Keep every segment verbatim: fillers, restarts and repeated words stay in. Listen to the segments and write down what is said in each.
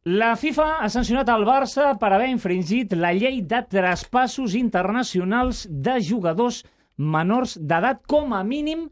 La FIFA ha sancionat el Barça per haver infringit la llei de traspassos internacionals de jugadors menors d'edat, com a mínim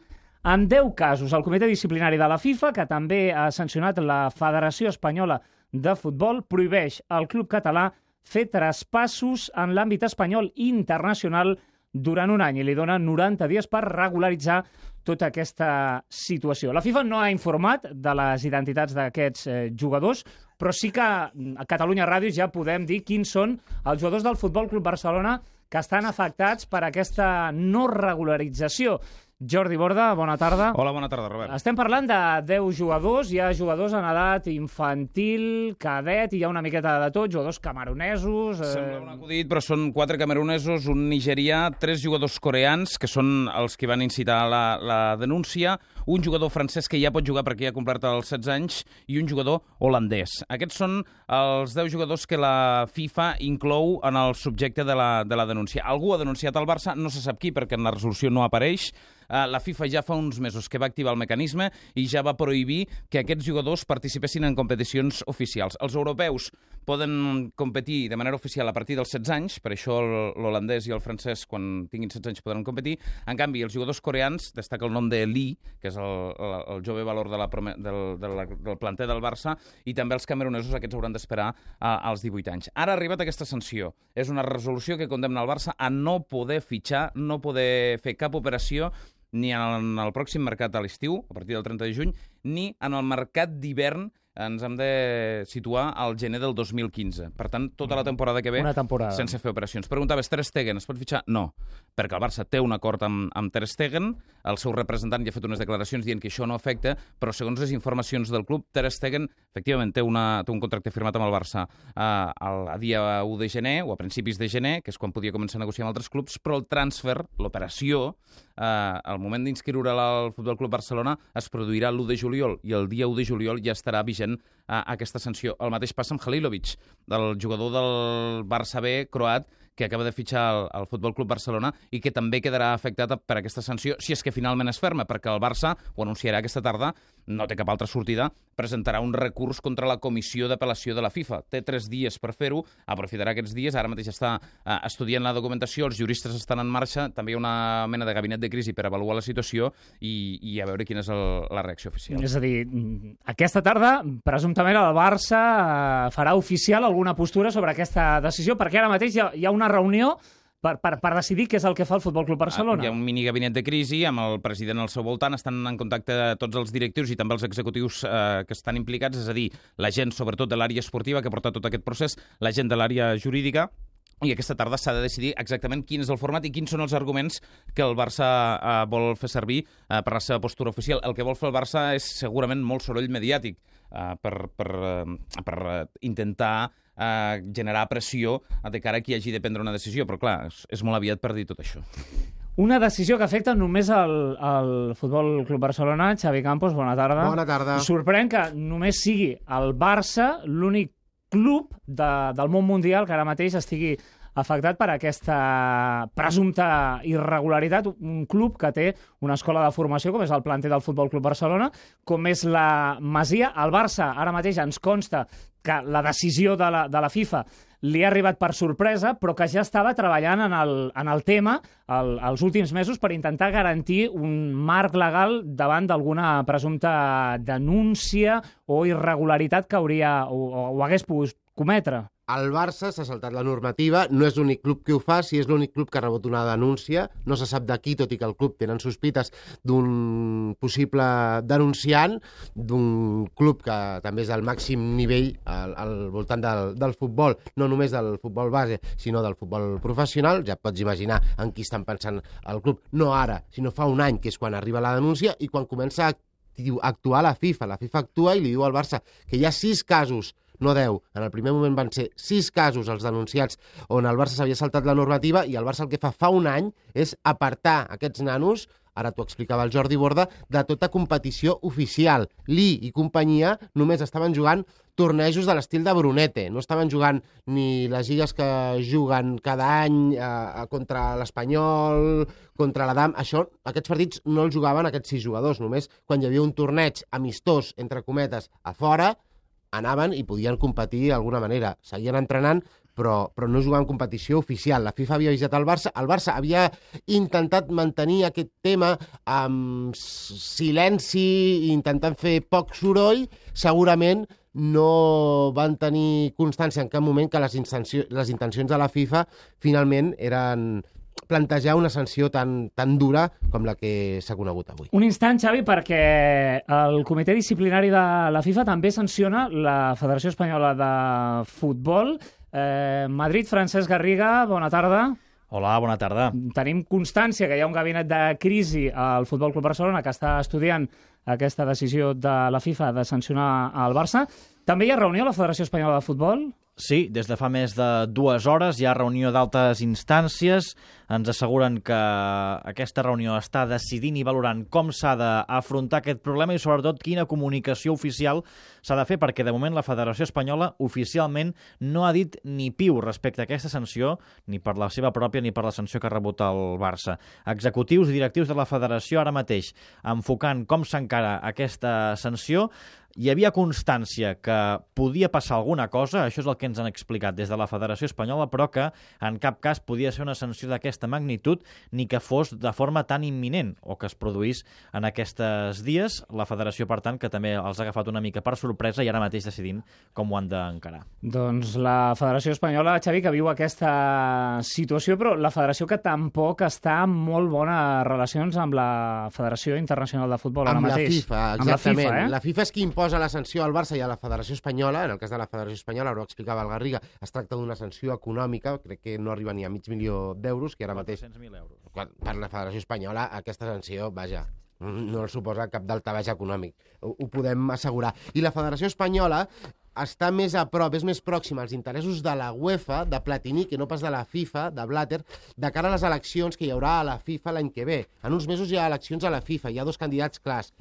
en deu casos. El Comitè Disciplinari de la FIFA, que també ha sancionat la Federació Espanyola de Futbol, prohibeix al club català fer traspassos en l'àmbit espanyol i internacional durant un any i li dona noranta dies per regularitzar tota aquesta situació. La FIFA no ha informat de les identitats d'aquests eh, jugadors, però sí que a Catalunya Ràdio ja podem dir quins són els jugadors del Futbol Club Barcelona que estan afectats per aquesta no regularització. Jordi Borda, bona tarda. Hola, bona tarda, Robert. Estem parlant de deu jugadors, hi ha jugadors en edat infantil, cadet, i hi ha una miqueta de tot, jugadors camerunesos... Eh... Sembla un acudit, però són quatre camerunesos, un nigerià, tres jugadors coreans, que són els que van incitar la, la denúncia, un jugador francès que ja pot jugar perquè ja ha complert els setze anys, i un jugador holandès. Aquests són els deu jugadors que la FIFA inclou en el subjecte de la, de la denúncia. Algú ha denunciat el Barça, no se sap qui, perquè en la resolució no apareix. La FIFA ja fa uns mesos que va activar el mecanisme i ja va prohibir que aquests jugadors participessin en competicions oficials. Els europeus poden competir de manera oficial a partir dels setze anys, per això l'holandès i el francès, quan tinguin setze anys, podran competir. En canvi, els jugadors coreans, destaca el nom de Lee, que és el, el, el jove valor de la, del, del, del planter del Barça, i també els camerunesos, aquests hauran d'esperar als divuit anys. Ara ha arribat aquesta sanció. És una resolució que condemna el Barça a no poder fitxar, no poder fer cap operació ni en el pròxim mercat a l'estiu, a partir del trenta de juny, ni en el mercat d'hivern. Ens hem de situar al gener del dos mil quinze. Per tant, tota la temporada que ve, sense fer operacions. Preguntaves, Ter Stegen es pot fitxar? No, perquè el Barça té un acord amb, amb Ter Stegen, el seu representant ja ha fet unes declaracions dient que això no afecta, però segons les informacions del club, Ter Stegen, efectivament, té, una, té un contracte firmat amb el Barça eh, a dia u de gener, o a principis de gener, que és quan podia començar a negociar amb altres clubs, però el transfer, l'operació, eh, al moment d'inscriure'l al Futbol Club Barcelona, es produirà l'u de juliol, i el dia u de juliol ja estarà vigent a aquesta sanció. El mateix passa amb Halilovic, el jugador del Barça B croat, que acaba de fitxar al, al Futbol Club Barcelona i que també quedarà afectat per aquesta sanció, si és que finalment es ferma, perquè el Barça, ho anunciarà aquesta tarda, no té cap altra sortida, presentarà un recurs contra la comissió d'apel·lació de la FIFA. Té tres dies per fer-ho, aprofitarà aquests dies, ara mateix està eh, estudiant la documentació, els juristes estan en marxa, també hi ha una mena de gabinet de crisi per avaluar la situació i, i a veure quina és el, la reacció oficial. És a dir, aquesta tarda, presumptament, el Barça eh, farà oficial alguna postura sobre aquesta decisió, perquè ara mateix hi ha, hi ha una reunió per, per, per decidir què és el que fa el Futbol Club Barcelona. Hi ha un mini gabinet de crisi amb el president al seu voltant, estan en contacte tots els directius i també els executius eh, que estan implicats, és a dir, la gent sobretot de l'àrea esportiva que ha portat tot aquest procés, la gent de l'àrea jurídica, i aquesta tarda s'ha de decidir exactament quin és el format i quins són els arguments que el Barça eh, vol fer servir eh, per la seva postura oficial. El que vol fer el Barça és segurament molt soroll mediàtic eh, per, per, eh, per intentar eh, generar pressió de cara a qui hagi de prendre una decisió, però clar, és, és molt aviat per dir tot això. Una decisió que afecta només el, el Futbol Club Barcelona. Xavi Campos, bona tarda. Bona tarda. Sorprèn que només sigui el Barça l'únic club de, del món mundial que ara mateix estigui afectat per aquesta presumpta irregularitat, un club que té una escola de formació com és el planter del Futbol Club Barcelona, com és la Masia. El Barça ara mateix ens consta que la decisió de la, de la FIFA li ha arribat per sorpresa, però que ja estava treballant en el, en el tema el, els últims mesos per intentar garantir un marc legal davant d'alguna presumpta denúncia o irregularitat que hauria o, o hagués pogut cometre. El Barça s'ha saltat la normativa, no és l'únic club que ho fa, si és l'únic club que ha rebut una denúncia, no se sap d'aquí, tot i que el club tenen sospites d'un possible denunciant, d'un club que també és al màxim nivell al, al voltant del, del futbol, no només del futbol base, sinó del futbol professional. Ja pots imaginar en qui estan pensant el club, no ara, sinó fa un any, que és quan arriba la denúncia i quan comença a actuar la FIFA. La FIFA actua i li diu al Barça que hi ha sis casos, no deu. En el primer moment van ser sis casos els denunciats on el Barça s'havia saltat la normativa i el Barça el que fa fa un any és apartar aquests nanos, ara t'ho explicava el Jordi Borda, de tota competició oficial. Lee i companyia només estaven jugant tornejos de l'estil de Brunete, no estaven jugant ni les lligues que juguen cada any eh, contra l'Espanyol, contra l'Adam. Això, aquests partits no els jugaven aquests sis jugadors, només quan hi havia un torneig amistós, entre cometes, a fora, anaven i podien competir d'alguna manera. Seguien entrenant, però, però no jugaven competició oficial. La FIFA havia avisat el Barça. El Barça havia intentat mantenir aquest tema amb silenci, intentant fer poc soroll. Segurament no van tenir constància en cap moment que les, les intencions de la FIFA finalment eren plantejar una sanció tan, tan dura com la que s'ha conegut avui. Un instant, Xavi, perquè el comitè disciplinari de la FIFA també sanciona la Federació Espanyola de Futbol. Eh, Madrid, Francesc Garriga, bona tarda. Hola, bona tarda. Tenim constància que hi ha un gabinet de crisi al Futbol Club Barcelona que està estudiant aquesta decisió de la FIFA de sancionar el Barça. També hi ha reunió a la Federació Espanyola de Futbol? Sí, des de fa més de dues hores hi ha reunió d'altes instàncies. Ens asseguren que aquesta reunió està decidint i valorant com s'ha d'afrontar aquest problema i sobretot quina comunicació oficial s'ha de fer, perquè de moment la Federació Espanyola oficialment no ha dit ni piu respecte a aquesta sanció, ni per la seva pròpia ni per la sanció que ha rebut el Barça. Executius i directius de la Federació ara mateix enfocant com s'encara aquesta sanció. Hi havia constància que podia passar alguna cosa, això és el que ens han explicat des de la Federació Espanyola, però que en cap cas podia ser una sanció d'aquesta magnitud ni que fos de forma tan imminent o que es produís en aquests dies. La Federació, per tant, que també els ha agafat una mica per sorpresa i ara mateix decidint com ho han d'encarar. Doncs la Federació Espanyola, Xavi, que viu aquesta situació, però la Federació que tampoc està en molt bones relacions amb la Federació Internacional de Futbol ara amb mateix. La FIFA, exactament. Amb la FIFA, eh? La FIFA és qui imposa la sanció al Barça i a la Federació Espanyola. En el cas de la Federació Espanyola, ara ho explicava el Garriga, es tracta d'una sanció econòmica, crec que no arriba ni a mig milió d'euros, que ara mateix... quatre-cents mil euros. Per la Federació Espanyola, aquesta sanció, vaja, no el suposa cap daltabaix econòmic. Ho, ho podem assegurar. I la Federació Espanyola està més a prop, és més pròxima als interessos de la UEFA, de Platini, que no pas de la FIFA, de Blatter, de cara a les eleccions que hi haurà a la FIFA l'any que ve. En uns mesos hi ha eleccions a la FIFA, hi ha dos candidats clars,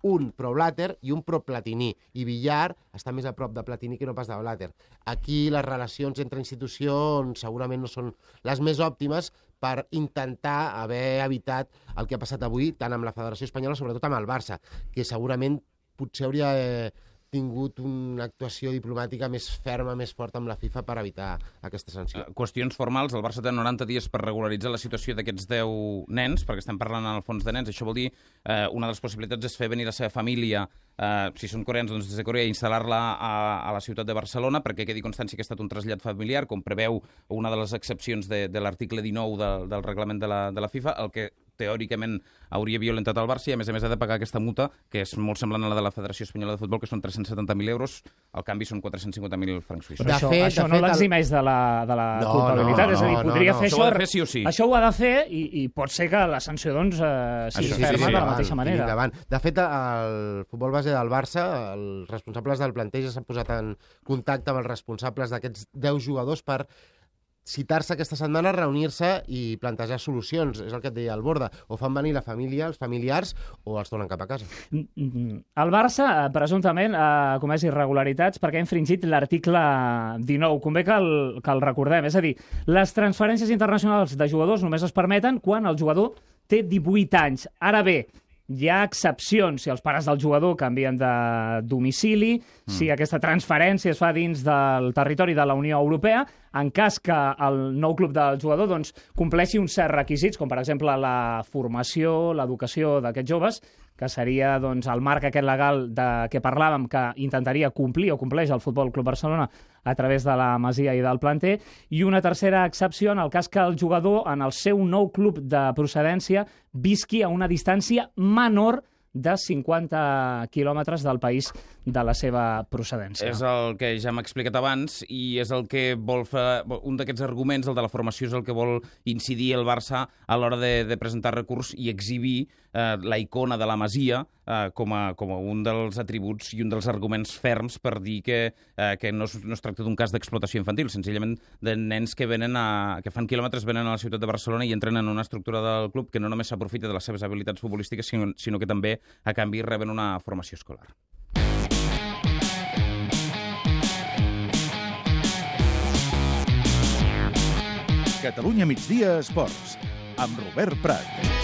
un pro-Blatter i un pro-Platini. I Villar està més a prop de Platini que no pas de Blatter. Aquí les relacions entre institucions segurament no són les més òptimes per intentar haver evitat el que ha passat avui, tant amb la Federació Espanyola, sobretot amb el Barça, que segurament potser hauria eh, tingut una actuació diplomàtica més ferma, més forta amb la FIFA per evitar aquesta sanció. Uh, qüestions formals, el Barça té noranta dies per regularitzar la situació d'aquests deu nens, perquè estem parlant en el fons de nens. Això vol dir, uh, una de les possibilitats és fer venir la seva família, uh, si són coreans, doncs des de Corea, i instal·lar-la a, a la ciutat de Barcelona, perquè quedi constància que ha estat un trasllat familiar, com preveu una de les excepcions de, de l'article dinou de, del reglament de la, de la FIFA, el que teòricament hauria violentat el Barça i, a més a més, ha de pagar aquesta multa, que és molt semblant a la de la Federació Espanyola de Futbol, que són tres-cents setanta mil euros, al canvi són quatre-cents cinquanta mil francs suïssos. Però això, fet, això no l'eximeix de la, de la no, culpabilitat, no, és a dir, podria no, no. fer això... Això ho ha de fer sí o sí. Això ho ha de fer i, i pot ser que la sanció, doncs, eh, sigui sí, ferma sí, sí, de la sí, mateixa manera. Davant. De fet, el futbol base del Barça, els responsables del planteig ja s'han posat en contacte amb els responsables d'aquests deu jugadors per citar-se aquesta setmana, reunir-se i plantejar solucions. És el que et deia el Borda. O fan venir la família, els familiars, o els donen cap a casa. El Barça, presumptament, ha comès irregularitats perquè ha infringit l'article dinou. Convé que el, que el recordem. És a dir, les transferències internacionals de jugadors només es permeten quan el jugador té divuit anys. Ara bé, hi ha excepcions si els pares del jugador canvien de domicili, mm. si aquesta transferència es fa dins del territori de la Unió Europea, en cas que el nou club del jugador doncs, compleixi uns certs requisits, com per exemple la formació, l'educació d'aquests joves, que seria doncs, el marc aquest legal de què parlàvem, que intentaria complir o compleix el Futbol Club Barcelona a través de la Masia i del planter, i una tercera excepció en el cas que el jugador en el seu nou club de procedència visqui a una distància menor de cinquanta quilòmetres del país de la seva procedència. És el que ja hem explicat abans i és el que vol fer... Un d'aquests arguments, el de la formació, és el que vol incidir el Barça a l'hora de, de presentar recurs i exhibir eh, la icona de la Masia eh, com, a, com a un dels atributs i un dels arguments ferms per dir que, eh, que no, es, no es tracta d'un cas d'explotació infantil, senzillament de nens que venen a, que fan quilòmetres, venen a la ciutat de Barcelona i entren en una estructura del club que no només s'aprofita de les seves habilitats futbolístiques, sinó, sinó que també, a canvi, reben una formació escolar. Catalunya Migdia Esports, amb Robert Prat.